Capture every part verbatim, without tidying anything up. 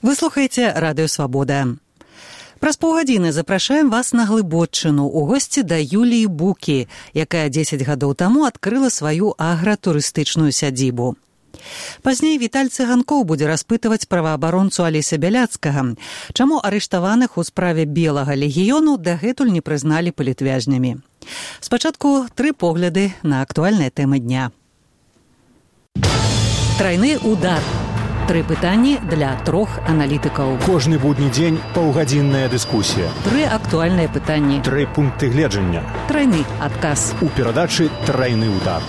Вы слухаеце Радыё Свабода. Праз паўгадзіны запрашаем вас на Глыбоччыну у госці да Юліі Букі, якая дзесяць гадоў таму адкрыла сваю агратурыстычную сядзібу. Пазней Віталь Цыганкоў будзе распытваць праваабаронцу Алеся Бяляцкага, чаму арыштаваных у справе Белага легіёну дагэтуль не прызналі палітвязнямі. Спачатку тры погляды на актуальныя тэмы дня. Трайны удар. Тры пытанні для трох аналітыкаў. Кожны будні дзень паўгадзінная дыскусія. Тры актуальныя пытанні. Тры пункты гледжання. Трайны адказ. У перадачы «Трайны удар».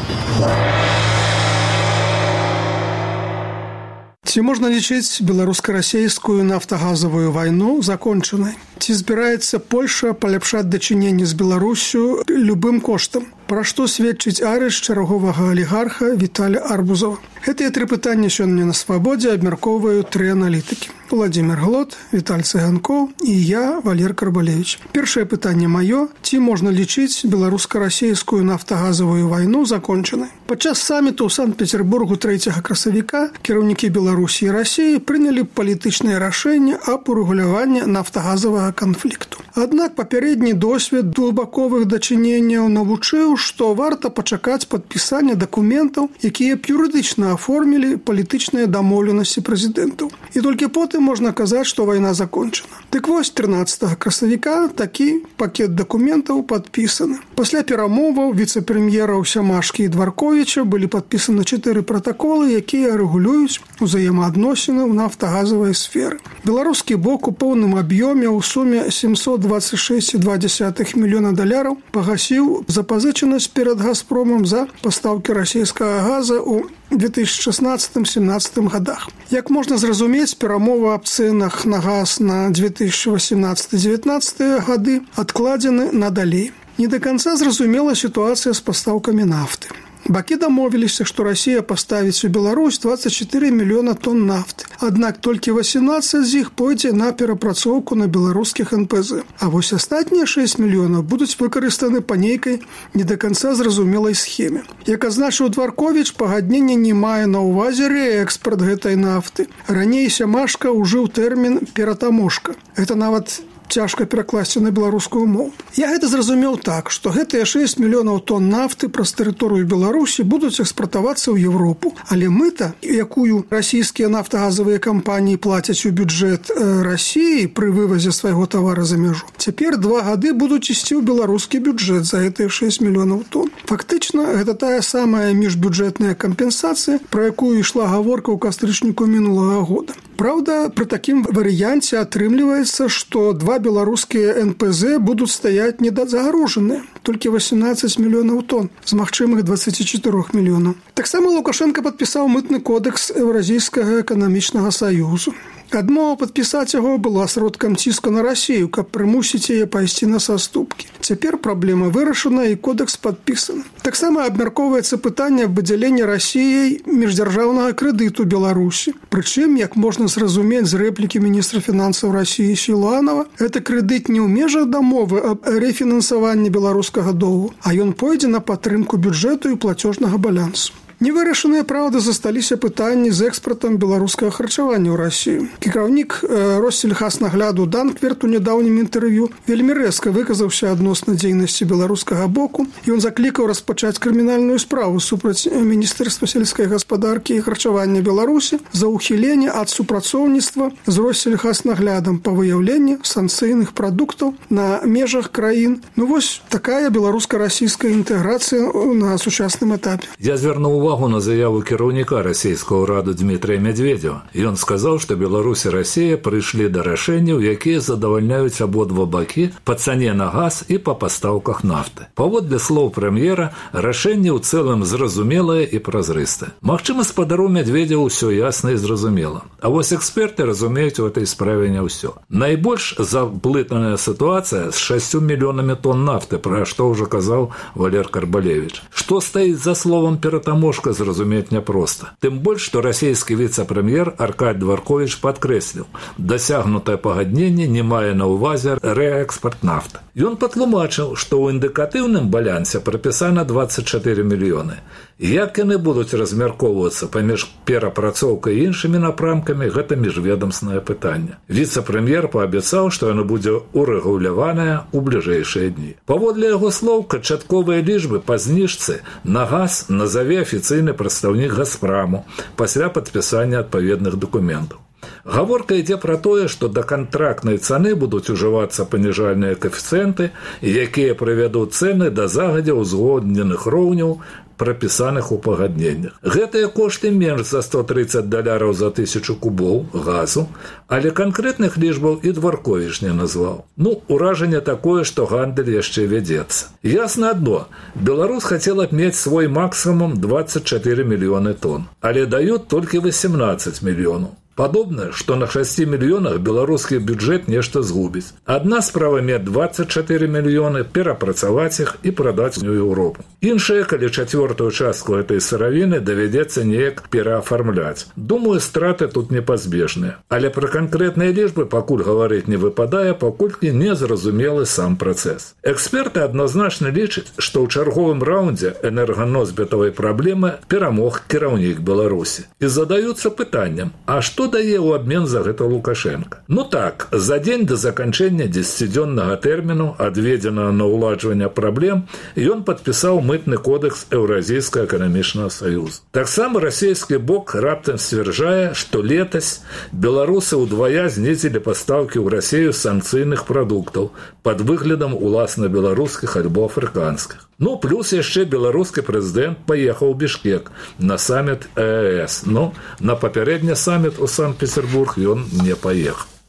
Ці можна лічыць беларуска-расейскую нафтагазавую вайну закончанай? Ці збіраецца Польша паляпшаць дачыненні з Беларуссю любым коштам? Пра што сведчыць арышт чарговага алігарха Віталя Арбузова? Гэтыя тры пытанні сёння на Свабодзе абмяркоўваюць тры аналітыкі. Владимир Глот, Віталь Цыганкоў і я, Валер Карбалевич. Першае пытанне маё. Ці можна лічыць беларуска-расейскую нафтагазавую вайну закончанай? Падчас саміту ў Санкт-Петербургу трэцяга красавіка кіраўнікі Беларусі і Расіі прынялі палітычнае рашэнне аб урэгуляванні нафтагазавага канфлікту. Аднак папярэдні досвед двухбаковых дачыненняў навучыў, што варта пачакаць падпісання дакументаў, якія б юрыдычна аформілі палітычныя дамоўленасці прэзідэнтаў. І толькі потым можна казаць, што вайна закончана. Дык вось трынаццатага красавіка такі пакет дакументаў падпісаны. Пасля перамоваў віцэ-прэм'ераў Сямашкі і Дварковіча былі падпісаны чатыры пратаколы, якія рэгулююць узаемаадносіны ў нафтагазавай сферы. Беларускі бок у поўным аб'ёме ў суме сямсот двадцать шесть и два десятых мільёна даляраў пагасіў запазычанасць перад Газпромам за пастаўкі расійскага газа ў две тысячи шестнадцатым — семнадцатым годах. Як можна зразумець, перамовы аб цэнах на газ на две тысячи восемнадцатый — девятнадцатый гады адкладзены надалей. Не да канца зразумела сітуацыя з пастаўкамі нафты. Бакі дамовіліся, што Расія паставіць у Беларусь двадцать четыре мільёна тонн нафты. Аднак толькі восемнадцать з іх пойдзе на перапрацоўку на беларускіх эн пэ зэ. А вось астатнія шэсць мільёнаў будуць выкарыстаны па нейкай не да канца зразумелай схеме. Як азначыў Дварковіч, пагадненне не мае на ўвазе рээкспарт гэтай нафты. Раней Сямашка ўжыў тэрмін «ператаможка». Гэта нават цяжка перакласці на беларускую мову. Я гэта зразумеў так, што гэтыя шэсць мільёнаў тонн нафты праз тэрыторыю Беларусі будуць экспартавацца ў Европу, але мыта, якую расійскія нафтагазавыя кампаніі плацяць у бюджэт Расіі пры вывазе свайго тавара за мяжу, цяпер два гады будуць ісці ў беларускі бюджэт за гэтыя шэсць мільёнаў тонн. Фактычна, гэта тая самая міжбюджэтная кампенсацыя, пра якую ішла гаворка ў кастрычніку мінулага года. Праўда, пры такім варыянце атрымліваецца, што два беларускія эн пэ зэ будуць стаяць недазагружаныя, толькі восемнадцать мільёнаў тонн з магчымых двадцать четыре мільёнаў. Таксама Лукашенко падпісаў мытны кодэкс Еўразійскага эканамічнага саюзу. Адмова падпісаць яго была сродкам ціску на Расію, каб прымусіць яе пайсці на саступкі. Цяпер праблема вырашана і кодэкс падпісаны. Таксама абмяркоўваецца пытанне аб выдзяленні Расіяй міждзяржаўнага крэдыту Беларусі. Прычым, як можна зразумець з рэплікі міністра фінансаў Расіі Сілуанова, гэта крэдыт не ў межах дамовы аб рэфінансаванні беларускага доўгу, а ён пойдзе на падтрымку бюджэту і плацёжнага балансу. Невырашаныя, праўда, засталіся пытанні з экспартам беларускага харчавання ў Расію. Кіраўнік Россельхазнагляду Данкверт у нядаўнім інтэрв'ю вельмі рэзка выказаўся адносна дзейнасці беларускага боку, і ён заклікаў распачаць крымінальную справу супраць Міністэрства сельскай гаспадаркі і харчавання Беларусі за ўхіленне ад супрацоўніцтва з Россельхазнаглядам па выяўленні санкцыйных прадуктаў на межах краін. Ну вось такая беларуска-расійская інтэграцыя на сучасным этапе. Я звярнуў увагу на заяву кіраўніка расійскага ўраду Дмітрыя Медведзева. Ён сказаў, што Беларусь і Расія прыйшлі да рашэнняў, якія задавальняюць абодва бакі па цане на газ і па пастаўках нафты. Паводле слоў прэм'ера, рашэнне ў цэлым зразумелае і празрыстае. Магчыма, спадару Медведзеву ўсё ясна і зразумела. А вось эксперты разумеюць у этой справе не ўсё. Найбольш заблытаная сітуацыя з шасцю мільёнамі тонн нафты, пра што ўжо казаў Валер Карбалевич. Што Што стаіць за словам «ператаможка», зразумець няпроста. Тым больш, што расійскі віцэ-прэм'ер Аркадь Дворкович падкрэсліў, дасягнутае пагадненне не мае на ўвазе рээкспарт нафты. Ён патлумачыў, што ў індыкатыўным балансе прапісана дваццаць чатыры мільёны. Як яны будуць размяркоўвацца паміж перапрацоўкай і іншымі напрамкамі, гэта міжведамснае пытанне. Віцэ-прэм'ер паабяцаў, што яно будзе урэгуляванае ў бліжэйшыя дні. Паводле яго слоў, канчатковыя лічбы па зніжцы на газ назаве афіцыйны прадстаўнік «Газпраму» пасля падпісання адпаведных дакументаў. Гаворка ідзе пра тое, што да кантрактнай цаны будуць ужывацца паніжальныя каэфіцыенты, якія прывядуць цэны да загадзя ўзгодненых роўняў, прапісаных у пагадненнях. Гэтыя кошты менш за сто трыццаць даляраў за тысячу кубоў газу, але канкрэтных лічбаў і Дворкович не назваў. Ну, уражанне такое, што гандаль яшчэ вядзецца. Ясна адно, Беларусь хацела б мець свой максімум дваццаць чатыры мільёны тонн, але даюць толькі васемнаццаць мільёнаў. Падобна, што на шасці мільёнах беларускі бюджэт нешта згубіць. Адна справа мець дваццаць чатыры мільёны, перапрацаваць іх і прадаць у Еўропу. Іншая, калі чацвёртую частку гэтай сыравіны давядзецца неяк пераафармляць. Думаю, страты тут непазбежныя. Але пра канкрэтныя лічбы пакуль гаварыць не выпадае, паколькі не зразумелы сам працэс. Эксперты адназначна лічаць, што ў чарговым раўндзе энерганосьбітавай праблемы перамог кіраўнік Беларусі. І задаюцца пытаннем, а што дае ў абмен за гэта Лукашенко? Ну так, за дзень да заканчэння дзесяцідзённага тэрміну, адведзенага на ўладжванне праблем, ён падпісаў мытны кодэкс Еўразійскага эканамічнага саюза. Таксама расійскі бок раптам сцвярджае, што летась беларусы ўдвая знізілі пастаўкі ў Расію санкцыйных прадуктаў пад выглядам уласна беларускіх альбо афрыканскіх. Ну, плюс яшчэ беларускі прэзідэнт паехаў у Бішкек на саміт Э Э С. Ну, на папярэдні саміт у Санкт-Петербург ён не паехаў.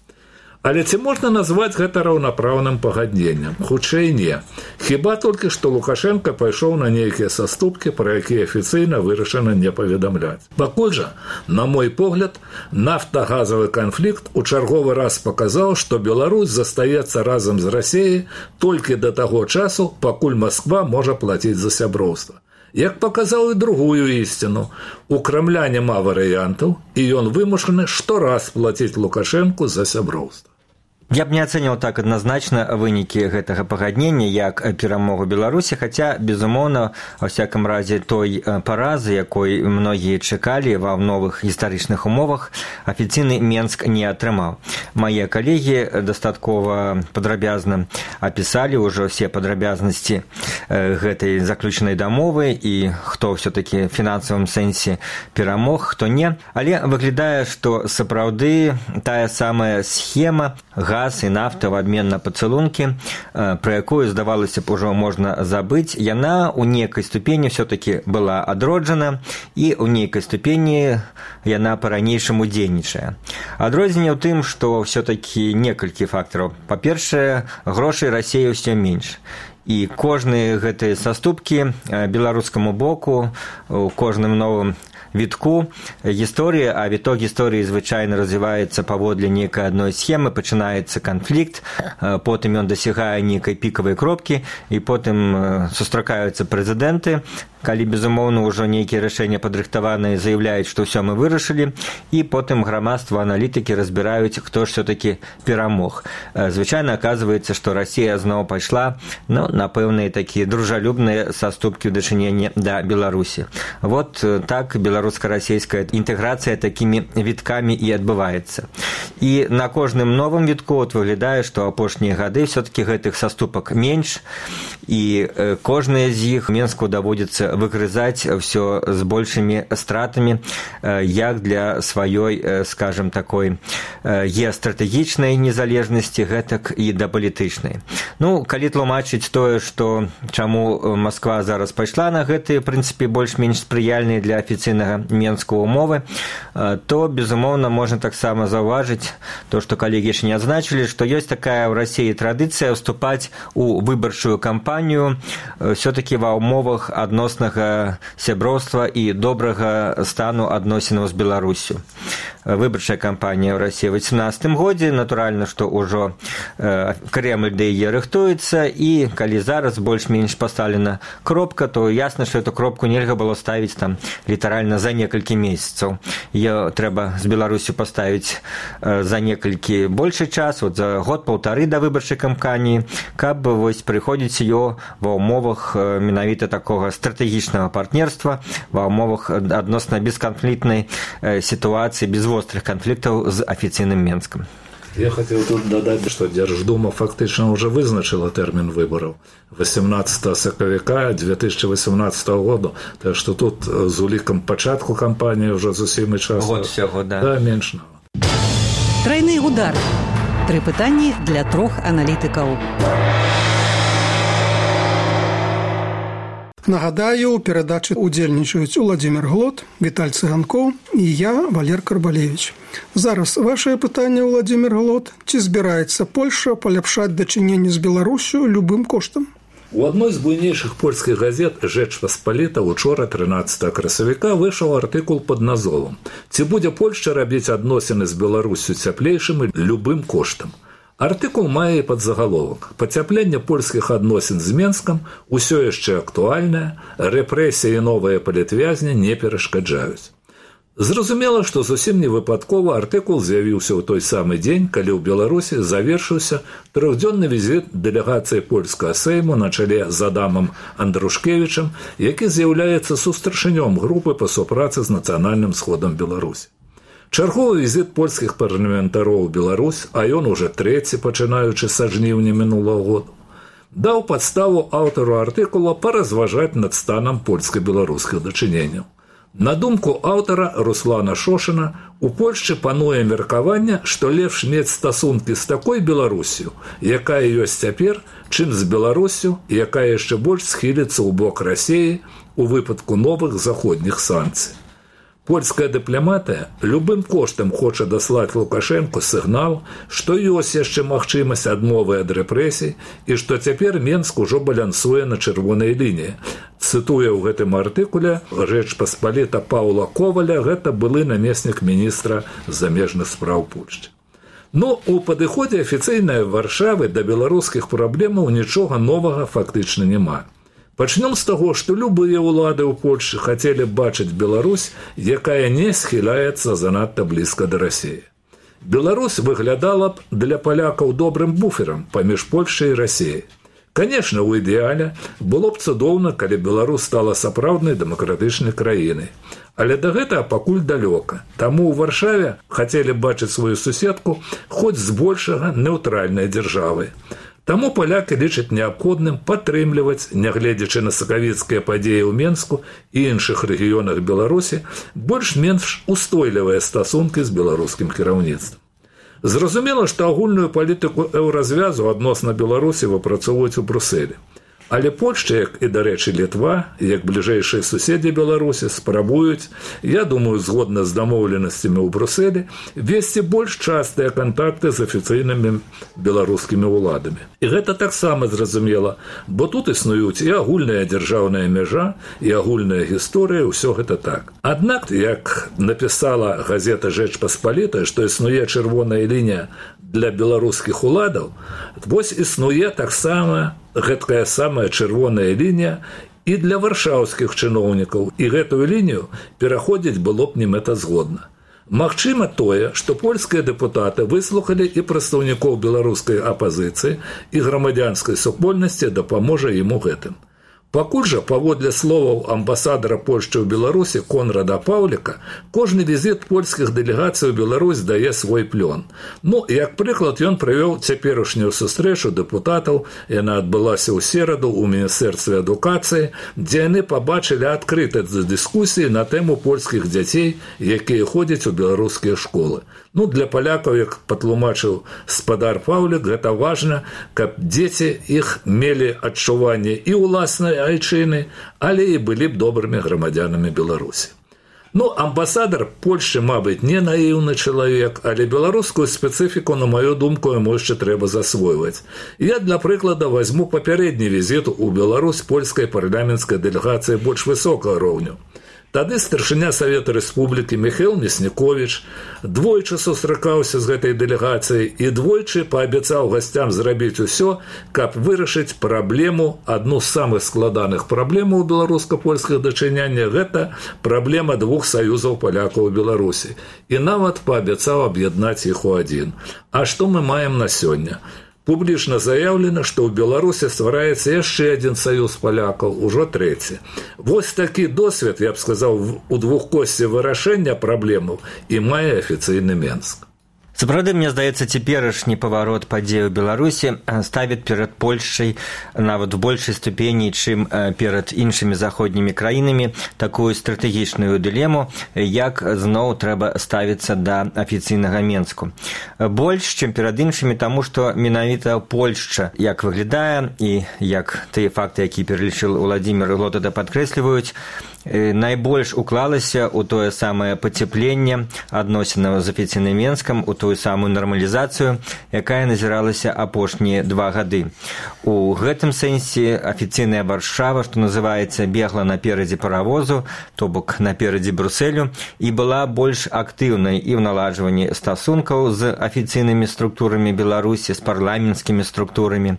Але ці можна назваць гэта раўнапраўным пагадненнем? Хутчэй не. Хіба толькі што Лукашенко пайшоў на нейкія саступкі, пра якія афіцыйна вырашана не паведамляць. Пакуль жа, на мой погляд, нафтагазавы канфлікт у чарговы раз паказаў, што Беларусь застаецца разам з Расіяй толькі да таго часу, пакуль Масква можа плаціць за сяброўства. Як паказаў і другую ісціну, у Крамля няма варыянтаў, і ён вымушаны штораз плаціць Лукашэнку за сяброўства. Я б не ацэніў так адназначна вынікі гэтага пагаднення як перамогу Беларусі, хаця, безумоўна, ва ўсякім разе той паразы, якой многія чакалі ва новых гістарычных умовах, афіцыйны Менск не атрымаў. Мае калегі дастаткова падрабязна апісалі ўжо ўсе падрабязнасці гэтай заключанай дамовы і хто ўсё-такі в фінансавым сэнсе перамог, хто не. Але выглядае, што сапраўды тая самая схема газ і нафта в абмен на пацалункі, пра якую, здавалася б, ужо можна забыць, яна ў нейкай ступені все-таки была адроджана і ў нейкай ступені яна па-ранейшаму дзейнічае. Адрозненне ў тым, што все-таки некалькі фактараў. Па-першае, грошай Расіі ўсё менш. І кожныя гэтыя саступкі беларускаму боку, у кожным новым вітку гісторыі, а віток гісторыі звычайна развіваецца паводле нейкай адной схемы, пачынаецца канфлікт, потым ён дасягае нейкай пікавай кропкі, і потым сустракаюцца прэзідэнты, калі, безумоўна, ўжо нейкія рашэння падрыхтаваныя заяўляюць, што ўсё мы вырашылі, і потым грамадства, аналітыкі разбіраюць, хто ж все-таки перамог. Звычайна аказваецца, што Расія зноў пайшла ну, на пэўныя такія дружалюбныя саступкі ў дачыненні да Беларусі. Вот так беларуска-расійская інтэграцыя такімі віткамі і адбываецца. І на кожным новым вітку от выглядае, што апошнія гады все-таки гэтых саступак менш, і кожная з іх Менску даводзіцца выгрызаць все з большымі стратамі, як для сваёй, скажем, такой геастратэгічнай незалежнасці, гэтак і да палітычнай. Ну, калі тлумачыць тое, што чаму Масква зараз пайшла на гэтыя, в прынцыпе, больш-менш спрыяльныя для афіцыйнага Менска умовы, то, безумоўна, можна таксама заўважыць то, што калегі яшчэ не адзначылі, што ёсць такая ў Расіі традыцыя ўступаць у выбарчую кампанію все-таки ва ўмовах адноснага сяброўства і добрага стану адносінаў з Беларусю. Выбарчая кампанія ў Расіі ў вісямнаццатым годзе, натуральна, што ўжо Кремль да яе рыхтуецца, і калі калі зараз больш-менш пастаўлена кропка, то ясна, што эту кропку нельга было ставіць там літаральна за некалькі месяцаў. Ее трэба з Беларусю паставіць за некалькі большы час, вот за год-паўтары да выбарчай кампаніі, каб вось прыходзіць ее ва ўмовах менавіта такога стратэгічнага партнерства, ва ўмовах адносна бесканфліктнай сітуацыі, без вострых канфліктаў з афіцыйным Менскам. Я хотел тут додать, что Держдума фактично уже вызначила термин выборов восемнадцатого сакавіка две тысячи восемнадцатого года, так что тут з уліком початку кампании уже зусім і час. Год всего, да. Да, меньше. Тройны удар. Три пытанні для трох аналітыкаў. Нагадаю, у перадачы удзельнічаюць Уладзімір Глот, Віталь Цыганкоў і я, Валер Карбалевіч. Зараз вашае пытанне, Уладзімір Глот. Ці збіраецца Польша паляпшаць дачыненні з Беларусю любым коштам? У одной з буйнейшых польскіх газет «Жэч Паспаліта» учора тринадцатого красавіка выйшаў артыкул пад назовам «Ці будзе Польшча рабіць адносіны з Беларусю цяплейшымі любым коштам». Артыкул мае падзагаловак «Пацяпленне польскіх адносін з Менскам усё яшчэ актуальнае, рэпрэсіі і новыя палітвязні не перашкаджаюць». Зразумела, што зусім не выпадкова артыкул з'явіўся ў той самы дзень, калі ў Беларусі завершыўся трохдзённы візіт дэлегацыі польскага сейму на чале з Адамам Андрушкевічам, які з'яўляецца сустаршынём групы па супрацы з нацыянальным сходам Беларусі. Чарговы візіт польскіх парламентароў у Беларусь, а ён уже трэці, пачынаючы са жніўня мінулага года, даў падставу аўтару артыкула паразважаць над станам польска-беларускіх дачыненняў. На думку аўтара Руслана Шошына, у Польшчы пануе меркаванне, што лепш мець стасункі з такой Беларусю, якая ёсць цяпер, чым з Беларусю, якая яшчэ больш схіліцца ў бок Расіі у выпадку новых заходніх санкцый. Польская дыпламатыя любым коштам хоча даслаць Лукашэнку сігнал, што ёсць яшчэ магчымасць адмовы ад рэпрэсій і што цяпер Менск ужо балянсуе на чырвонай лініі. Цытуе ў гэтым артыкуле «Жэч Паспаліта» Паўла Коваля, гэта былы намеснік міністра замежных спраў Польшчы. Но у падыходзе афіцыйнай Варшавы да беларускіх праблемаў нічога новага фактычна няма. Пачнём з таго, што любыя ўлады ў Польшчы хацелі бачыць Беларусь, якая не схіляецца занадта блізка да Расіі. Беларусь выглядала б для палякаў добрым буферам паміж Польшчай і Расіяй. Канешне, у ідэале было б цудоўна, калі Беларусь стала сапраўднай дэмакратычнай краінай. Але да гэтага пакуль далёка. Таму ў Варшаве хацелі бачыць сваю суседку хоць збольшага нэўтральнай дзяржавай. Таму палякі лічаць неабходным падтрымліваць, нягледзячы на сакавіцкія падзеі ў Менску і іншых рэгіёнах Беларусі, больш-менш устойлівыя стасункі з беларускім кіраўніцтвам. Зразумела, што агульную палітыку еўразвязу адносна Беларусі выпрацоўваюць у Брусэлі. Але Польшча, як і, дарэчы, Літва, як бліжэйшыя суседзі Беларусі, спрабуюць, я думаю, згодна з дамоўленасцямі ў Брусэлі, весці больш частыя кантакты з афіцыйнымі беларускімі ўладамі. І гэта таксама зразумела, бо тут існуюць і агульная дзяржаўная мяжа, і агульная гісторыя, ўсё гэта так. Аднак, як напісала газета «Жэч Паспаліта», што існуе чырвоная лінія для беларускіх уладаў, вось існуе таксама гэткая самая чырвоная лінія і для варшаўскіх чыноўнікаў, і гэтую лінію пераходзіць было б немэтазгодна. Магчыма тое, што польскія дэпутаты выслухалі і прадстаўнікоў беларускай апазіцыі і грамадзянскай супольнасці дапаможа ім у гэтым. Пакуль жа, паводле словаў амбасадара Польшчы ў Беларусі Конрада Паўліка, кожны візіт польскіх дэлегацый у Беларусь дае свой плён. Ну, як прыклад, ён прывёў цяперашнюю сустрэчу дэпутатаў, яна адбылася ў сераду ў Міністэрстве адукацыі, дзе яны пабачылі адкрытасць дыскусіі на тэму польскіх дзяцей, якія ходзяць у беларускія школы. Ну, для палякаў, як патлумачыў спадар Паўлік, гэта важна, каб дзеці іх мелі адчуванне і ўласнай айчыны, але і былі б добрымі грамадзянамі Беларусі. Ну, амбасадар Польшчы, мабыць, не наіўны чалавек, але беларускую спецыфіку, на маю думку, яму яшчэ трэба засвойваць. Я, для прыклада, возьму папярэдні візіт у Беларусь польскай парламенцкай дэлегацыі больш высокага роўню. Тады старшыня Савета Рэспублікі Міхаіл Мясніковіч двойчы сустракаўся з гэтай дэлегацыяй і двойчы паабяцаў гасцям зрабіць усё, каб вырашыць праблему, адну з самых складаных праблемаў беларуска-польскіх дачыняння, гэта праблема двух саюзаў палякаў у Беларусі. І нават паабяцаў аб'яднаць іх у адзін. А што мы маем на сёння? Публічна заяўлена, што ў Беларусі ствараецца яшчэ адзін саюз палякаў, ужо трэці. Вось такі досвед, я б сказаў, у двухкосці вырашэння праблемаў і мае афіцыйны Менск. Сапраўды, мне здаецца, цяперашні паварот падзей у Беларусі ставіць перад Польшчай нават у большай ступені, чым перад іншымі заходнімі краінамі, такую стратэгічную дылему, як зноў трэба ставіцца да афіцыйнага Менску. Больш, чым перад іншымі, таму што менавіта Польшча, як выглядае, і як тыя факты, які пералічыў Уладзімір Глотада, падкрэсліваюць, найбольш уклалася ў тое самае пацяпленне адносінаў з афіцыйным Менскам, у тую самую нармалізацыю, якая назіралася апошнія два гады. У гэтым сэнсе афіцыйная Варшава, што называецца, бегла наперадзе паравозу, то бок наперадзе Брусэлю, і была больш актыўнай і ў наладжванні стасункаў з афіцыйнымі структурамі Беларусі, з парламенцкімі структурамі,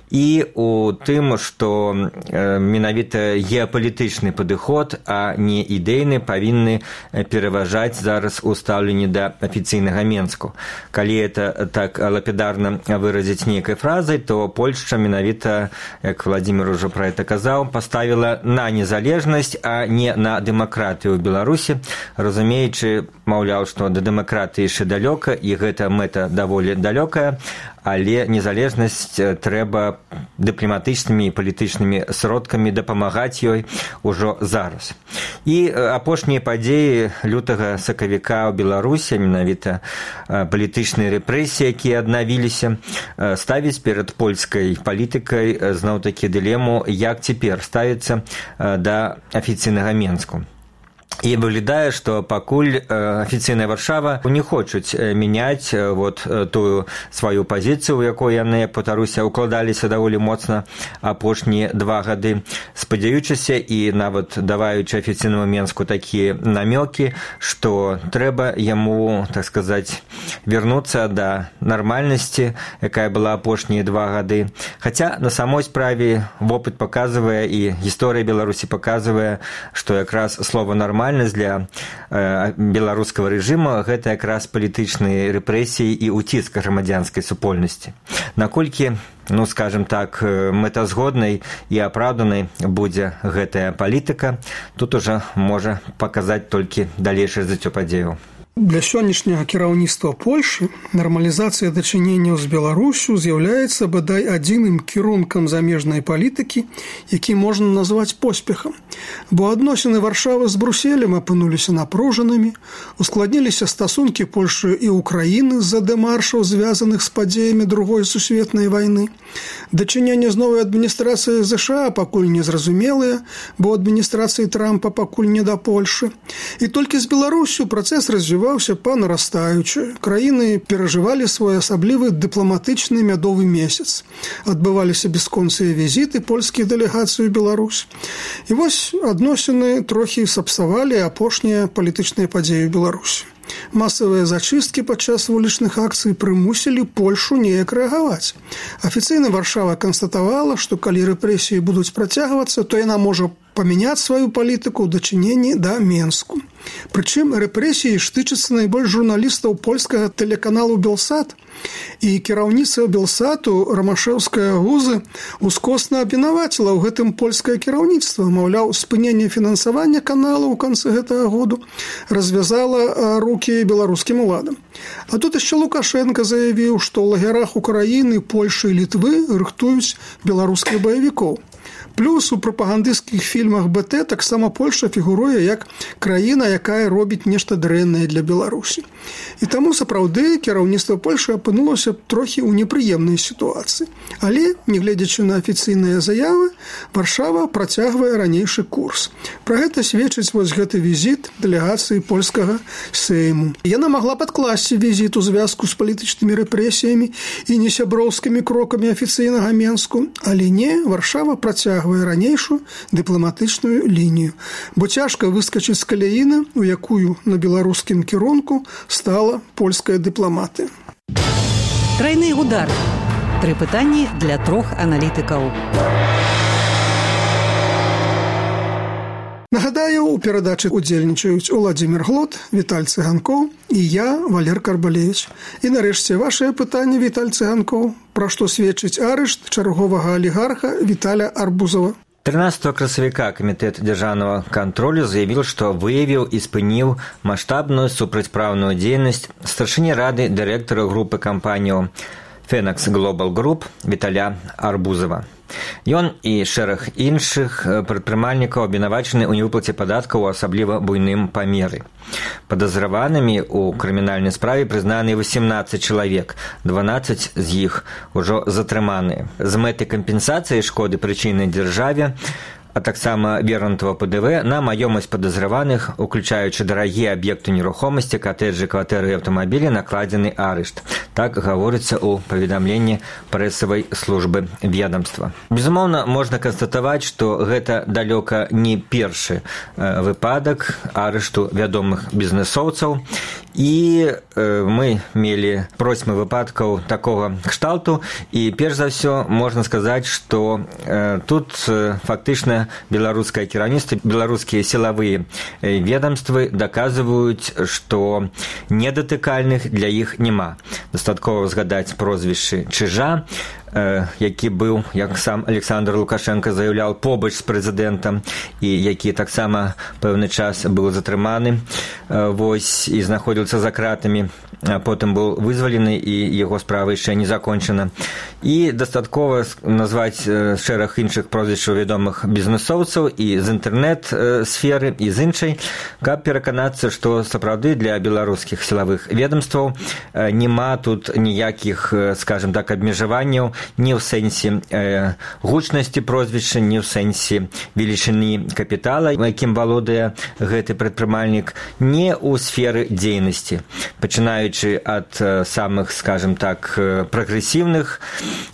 і у тым, што менавіта геапалітычны падыход, а не ідэйны, павінны пераважаць зараз у стаўленні да афіцыйнага Менску. Калі это так лапідарна выразіць нейкай фразай, то Польшча менавіта, як Владзімір ужо пра гэта казаў, паставіла на незалежнасць, а не на дэмакратыю ў Беларусі, разумеючы, маўляў, што да дэмакратыі яшчэ далёка, і гэта мэта даволі далёкая, але незалежнасць трэба дыпламатычнымі і палітычнымі сродкамі дапамагаць ёй ужо зараз. І апошнія падзеі лютага сакавіка ў Беларусі, менавіта палітычныя рэпрэсіі, якія аднавіліся, ставіць перад польскай палітыкай зноў-такі дылему, як цяпер ставіцца да афіцыйнага Менску. І выглядае, што пакуль афіцыйная Варшава не хочуць мяняць вот тую сваю пазіцыю, у якой яны, паўтаруся, укладаліся даволі моцна апошнія два гады, спадзяючыся і нават даваючы афіцыйнаму Менску такія намёкі, што трэба яму, так сказаць, вярнуцца да нармальнасці, якая была апошнія два гады. Хаця на самой справе вопыт паказвае і гісторыя Беларусі паказвае, што якраз слова «нармальнасць» для э, беларускага рэжыма гэта якраз палітычныя рэпрэсіі і ўціск грамадзянскай супольнасці. Наколькі, ну, скажем так, мэтазгоднай і апраўданай будзе гэтая палітыка, тут ужо можа паказаць толькі далейшае развіццё падзеяў. Для сённяшняга кіраўніцтва Польшы нармалізацыя дачыненняў з Беларусю з'яўляецца бадай адзіным кірункам замежнай палітыкі, які можна назваць поспехам. Бо адносіны Варшавы з Бруселем апынуліся напружанымі, ускладніліся стасункі Польшы і Украіны з-за дэмаршаў, звязаных з падзеямі Другой сусветнай вайны. Дачыненне з новай адміністрацыяй ЗША пакуль незразумелыя, бо адміністрацыі Трампа пакуль не да Польшы. І толькі з Беларусю працэс развіваўся па нарастаючы. Краіны перажывалі свой асаблівы дыпламатычны мядовы месяц. Адбываліся бясконцыя візіты польскіх дэлегацый у Беларусь. І вось адносіны трохі сапсавалі апошнія палітычныя падзеі ў Беларусі. Масавыя зачысткі падчас вулічных акцый прымусілі Польшу неяк рэагаваць. Афіцыйна Варшава канстатавала, што калі рэпрэсіі будуць працягвацца, то яна можа памяняць сваю палітыку ў дачыненні да Менску. Прычым рэпрэсіі штычацца найбольш журналістаў польскага тэлеканалу «Белсат», і кіраўніцтва «Белсату» Рамашэўская Гузы ускосна абвінаваціла ў гэтым польскае кіраўніцтва. Маўляў, спыненне фінансавання канала ў канцы гэтага году развязала рукі беларускім уладам. А тут яшчэ Лукашенко заявіў, што ў лагерах Украіны, Польшы і Літвы рыхтуюць беларускіх баевікоў. Плюс у прапагандысцкіх фільмах БТ таксама Польша фігуруе як краіна, якая робіць нешта дрэннае для Беларусі. І таму сапраўды кіраўніцтва Польшы апынулася трохі ў непрыемнай сітуацыі. Але, нягледзячы на афіцыйныя заявы, Варшава працягвае ранейшы курс. Пра гэта сведчыць вось гэты візіт дэлегацыі польскага Сейму. Яна магла падкласці візіт у звязку з палітычнымі рэпрэсіямі і несяброўскімі крокамі афіцыйнага Менску, але не, Варшава працягвае працягвае ранейшую дыпламатычную лінію, бо цяжка выскачыць з каляіны, у якую на беларускім кірунку стала польская дыпламатыя. Трайны удар. Тры пытанні для трох аналітыкаў. Нагадаю, у перадачы удзельнічаюць Уладзімір Глот, Віталь Цыганкоў і я, Валер Карбалевіч. І нарэшце вашае пытанне, Віталь Цыганкоў, пра што сведчыць арышт чарговага алігарха Віталя Арбузова. тринадцатого красавіка Камітэт дзяржаўнага кантролю заявіў, што выявіў і спыніў маштабную супрацьпраўную дзейнасць старшыні рады дырэктара групы кампаніяў Phoenix Global Group Віталя Арбузова. Ён і шэраг іншых прадпрымальнікаў абвінавачаны ў невыплаце падаткаў у асабліва буйным памеры. Падазраванымі ў крымінальнай справе прызнаны восемнадцаць чалавек, дванаццаць з іх ужо затрыманыя. З мэтай кампенсацыі шкоды прычыненай дзяржаве, а таксама вернутого ПДВ на маёмасць падазраваных, уключаючы дарагія аб'екты нерухомасці, катэджы, кватэры і аўтамабілі, накладзены арышт. Так гаворыцца ў паведамленні прэсавай службы ведамства. Безумоўна, можна канстатаваць, што гэта далёка не першы выпадак арышту вядомых бізнэсоўцаў, і мы мелі процьмы выпадкаў такога кшталту, і перш за ўсё можна сказаць, што тут фактычна беларускае кіраўніцтва, беларускія сілавыя ведамствы даказваюць, што недатыкальных для іх няма. Дастаткова згадаць прозвішчы Чыжа, які быў, як сам Александр Лукашенко заяўляў, побач з прэзідэнтам і які таксама пэўны час быў затрыманы вось, і знаходзіўся за кратамі, а потым быў вызвалены і яго справа яшчэ не закончана. І дастаткова назваць шэраг іншых прозвішчаў вядомых бізнэсоўцаў і з інтэрнэт-сферы, і з іншай, каб пераканацца, што сапраўды для беларускіх сілавых ведамстваў няма тут ніякіх, скажем так, абмежаванняў ні ў сэнсе э, гучнасці прозвішча, ні ў сэнсе велічыні капітала, якім валодае гэты прадпрымальнік, не ў сферы дзейнасці, пачынаючы ад э, самых, скажем так, прагрэсіўных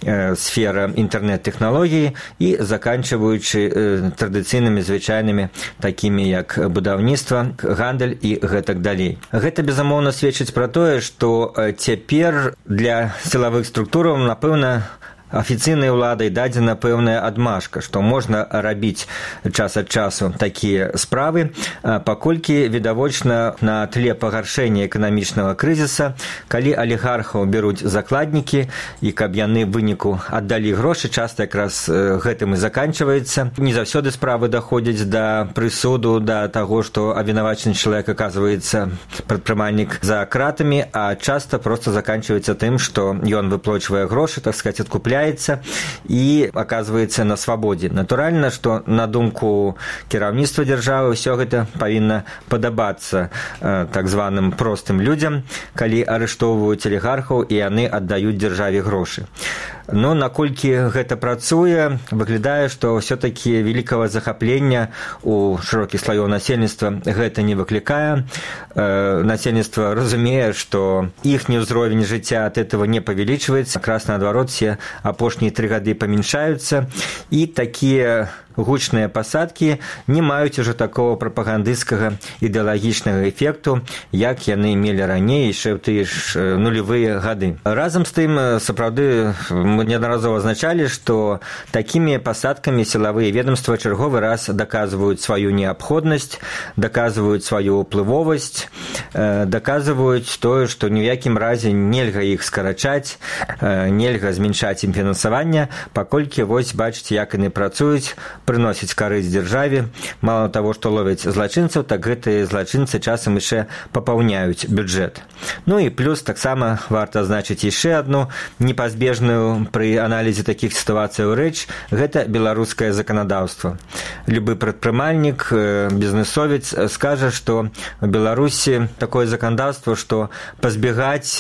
э, сфера інтэрнэт-тэхналогій і заканчваючы э, традыцыйнымі звычайнымі, такімі як будаўніцтва, гандаль і гэтак далей. Гэта, безумоўна, сведчыць пра тое, што э, цяпер для сілавых структураў, напэўна, афіцыйнай уладай дадзена пэўная адмашка, што можна рабіць час ад часу такія справы, паколькі відавочна на тле пагаршэння эканамічнага крызіса, калі алігархаў бяруць закладнікі і каб яны в выніку аддалі грошы, часта якраз гэтым і заканчваецца. Не заўсёды справы даходзяць да прысуду, да таго, што абвінавачаны чалавек аказваецца прадпрымальнік за кратамі, а часта проста заканчваецца тым, што ён выплачвае грошы, так сказаць, адкупляе і аказваецца на свабодзе. Натуральна, што на думку кіраўніцтва дзяржавы ўсё гэта павінна падабацца э, так званым простым людзям, калі арыштоўваюць алігархаў і яны аддаюць дзяржаве грошы. Но наколькі гэта працуе, выглядае, што ўсё-такі вялікага захаплення у шырокіх слаёў насельніцтва гэта не выклікае. Э, насельніцтва разумее, што іхні ўзровень жыцця ад этого не павялічваецца, якраз наадварот, все апошнія тры гады памяншаюцца, і такія гучныя пасадкі не маюць ужо такого прапагандысцкага ідэалагічнага эфекту, як яны мелі раней, яшчэ ў тыя ж нулявыя гады. Разам з тым, сапраўды, мы неаднаразова азначалі, што такімі пасадкамі сілавыя ведомства чарговы раз даказваюць сваю неабходнасць, даказваюць сваю ўплывовасць, даказваюць тое, што ні ў якім разе нельга іх скарачаць, нельга зменшаць ім фінансавання, паколькі вось бачыце, як яны працуюць, прыносіць карысць дзяржаве. Мало таго, што ловяць злачынцаў, так гэтыя злачынцы часам яшчэ папаўняюць бюджэт. Ну і плюс таксама варта азначыць яшчэ адну непазбежную пры аналізе такіх сітуацыяў рэч – гэта беларускае заканадаўства. Любы прадпрымальнік, бізнэсовец скажа, што у Беларусі такое заканадаўства, што пазбегаць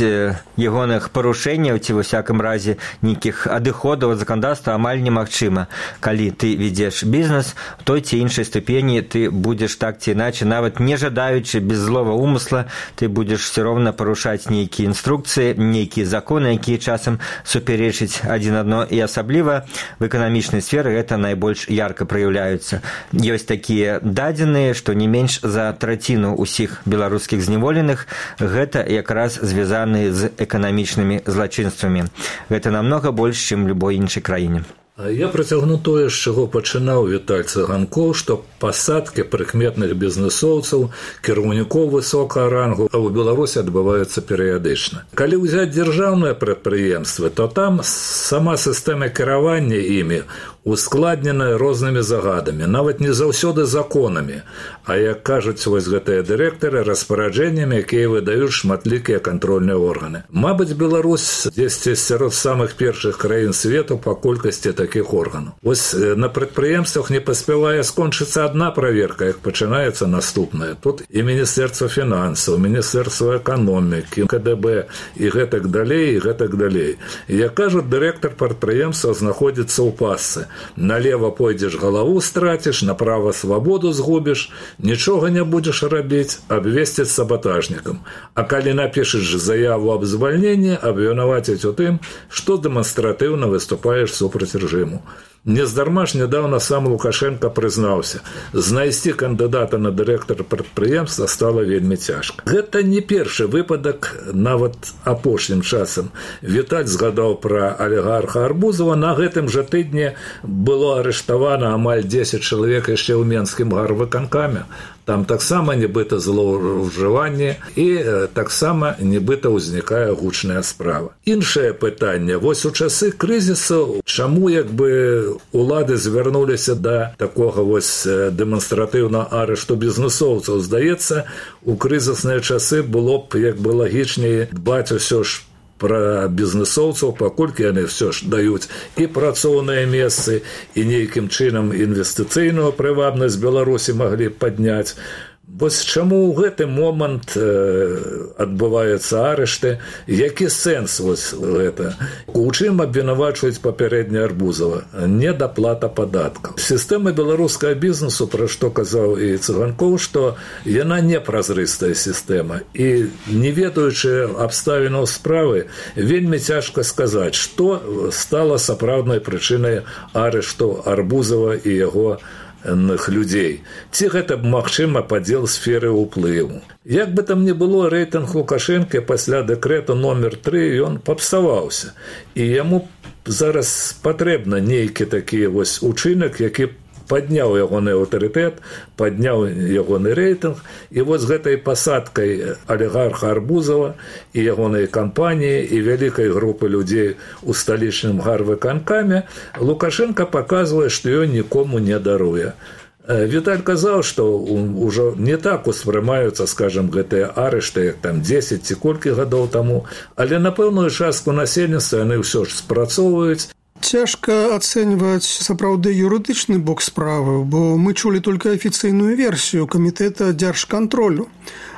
ягоных парушэнняў ці ва ўсякім разе нейкіх адыходаў ад заканадаўства амаль немагчыма, калі ты ведзеш вядзеш бізнес, у той ці іншай ступені ты будзеш так ці іначе, нават не жадаючы, без злого умысла, ты будзеш все роўна парушаць нейкія інструкцыі, нейкія законы, якія часам супярэчыць адзін адно, і асабліва в эканамічнай сферы гэта найбольш ярка праяўляюцца. Ёсць такія дадзеныя, што не менш за траціну ўсіх беларускіх зняволеных гэта якраз звязаны з эканамічнымі злачынствамі. Гэта намнога больш, чым любой іншай краіне. Я працягну тое, з чаго пачынаў Віталь Цыганкоў, што пасадкі прыкметных бізнесоўцаў, кіраўнікоў высокага рангу ў Беларусі адбываюцца перыядычна. Калі ўзяць дзяржаўныя прадпрыемствы, то там сама сістэма кіравання імі ускладненая рознымі загадамі, нават не заўсёды законамі, а, як кажуць вось гэтыя дырэктары, распараджэннямі, якія выдаюць шматлікія кантрольныя органы. Мабыць, Беларусь дзесьці сярод самых першых краін свету па колькасці такіх органаў. Вось на прадпрыемствах не паспявае скончыцца адна праверка, як пачынаецца наступная. Тут і Міністэрства фінансаў, Міністэрства эканомікі, ка дэ бэ і гэтак далей, і гэтак далей. І, як кажуць, дырэктар прадпрыемства знаходзіцца ў пасцы. Налево пойдзеш, галаву страціш, направо свабоду згубіш, нічога не будзеш рабіць, абвесціць сабатажнікам. А калі напішаш заяву аб звальненні, абвінаваціць у тым, што дэманстратыўна выступаеш супраць рэжыму. Нездарма ж нядаўна сам Лукашенко прызнаўся, знайсці кандыдата на дырэктара прадпрыемства стала вельмі цяжка. Гэта не першы выпадак, нават апошнім часам. Віталь згадаў пра алігарха Арбузова, на гэтым жа тыдні было арыштавана амаль дзесяць чалавек яшчэ ў Менскім гарвыканкаме. Там таксама нібыта злоўжыванне і таксама нібыта ўзнікае гучная справа. Іншае пытанне. Вось у часы крызісу, чаму як бы улады звярнуліся да такога вось дэманстратыўна арышту бізнесоўцаў? Здаецца, у крызісныя часы было б як бы лагічней дбаць усё ж пра бізнесоўцаў, паколькі яны ўсё ж даюць і працоўныя месцы, і нейкім чынам інвестыцыйную прывабнасць Беларусі маглі падняць. Вось чаму ў гэты момант адбываюцца арышты, які сэнс вось гэта? У чым абвінавачваюць папярэдне Арбузова? Недаплата падаткаў. Сістэма беларускага бізнесу, пра што казаў і Цыганкоў, што яна непразрыстая сістэма. І не ведаючы абставінаў справы, вельмі цяжка сказаць, што стала сапраўднай прычынай арышту Арбузова і яго людзей. Ці гэта, магчыма, падзел сферы ўплыву. Як бы там не было, рэйтынг Лукашэнка пасля дэкрэту номер тры, ён папсаваўся. І яму зараз патрэбна нейкі такі вось учынак, які падняў ягоны аўтарытэт, падняў ягоны рэйтынг, і вось гэтай пасадкай алігарха Арбузова і ягонай кампаніі і вялікай групы людзей у сталічным гарвыканкаме Лукашенко паказвае, што ён нікому не даруе. Віталь казаў, што ўжо не так успрымаюцца, скажам, гэтыя арышты, як там дзесяць ці колькі гадоў таму, але на пэўную частку насельніцтва яны ўсё ж спрацоўваюць. Цяжка ацэньваць сапраўды юрыдычны бок справы, бо мы чулі толькі афіцыйную версію камітэта дзяржкантролю.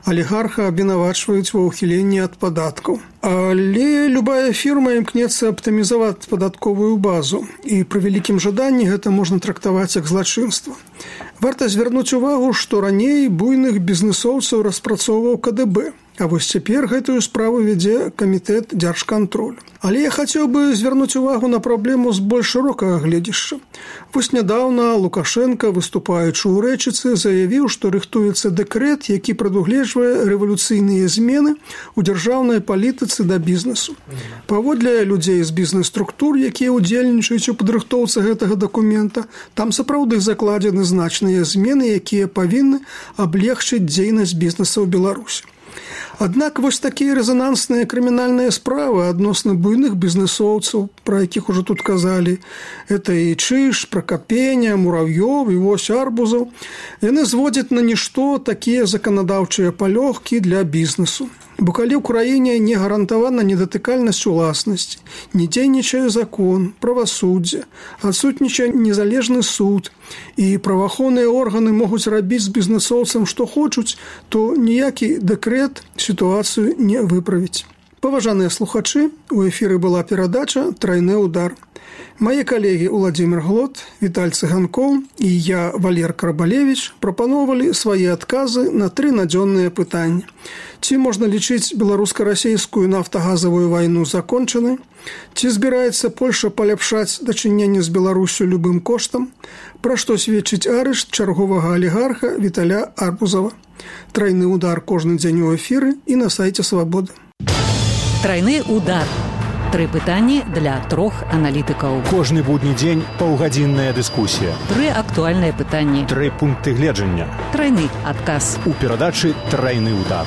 Алігарха абвінавачваюць ва ўхіленні ад падаткаў. Але любая фірма імкнецца аптымізаваць падатковую базу, і пры вялікім жаданні гэта можна трактаваць як злачынства. Варта звярнуць увагу, што раней буйных бізнесоўцаў распрацоўваў ка дэ бэ, а вось цяпер гэтую справу вядзе камітэт дзяржкантролю. Але я хацеў бы звярнуць увагу на праблему з больш шырокага гледзяшча. Вось нядаўна Лукашенко, выступаючы ў рэчыцы, заявіў, што рыхтуецца дэкрэт, які прадугледжвае рэвалюцыйныя змены ў дзяржаўнай палітыцы да бізнесу. Паводле людзей з бізнес-структур, якія ўдзельнічаюць у падрыхтоўцы гэтага дакумента, там сапраўды закладзены значныя змены, якія павінны аблегчыць дзейнасць бізнеса ў Беларусі. Аднак вось такія рэзанансныя крымінальныя справы адносна буйных бізнесоўцаў, пра якіх ужо тут казалі, это і Чыж, Пракапеня, Мурав'ёў і вось Арбузаў, яны зводзяць на нішто такія заканадаўчыя палёгкі для бізнесу. Бо калі ў краіне не гарантавана недатыкальнасць уласнасці, не дзейнічае закон, правасуддзе, адсутнічае незалежны суд, і праваахоўныя органы могуць рабіць з бізнесоўцам што хочуць, то ніякі дэкрэт сітуацыю не выправіць. Паважаныя слухачы, у эфіры была перадача «Трайны удар». Мае калегі Уладзімір Глот, Віталь Цыганкоў і я, Валер Карбалевіч, прапаноўвалі свае адказы на тры надзённыя пытанні. Ці можна лічыць беларуска-расейскую нафтагазавую вайну закончанай? Ці збіраецца Польша паляпшаць дачыненне з Беларусю любым коштам? Пра што сведчыць арышт чарговага алігарха Віталя Арбузава? Трайны удар кожны дзень у эфіры і на сайце Свабоды. Трайны удар. Тры пытанні для трох аналітыкаў. Кожны будні дзень паўгадзінная дыскусія. Тры актуальныя пытанні. Тры пункты гледжання. Трайны адказ. У перадачы «Трайны удар».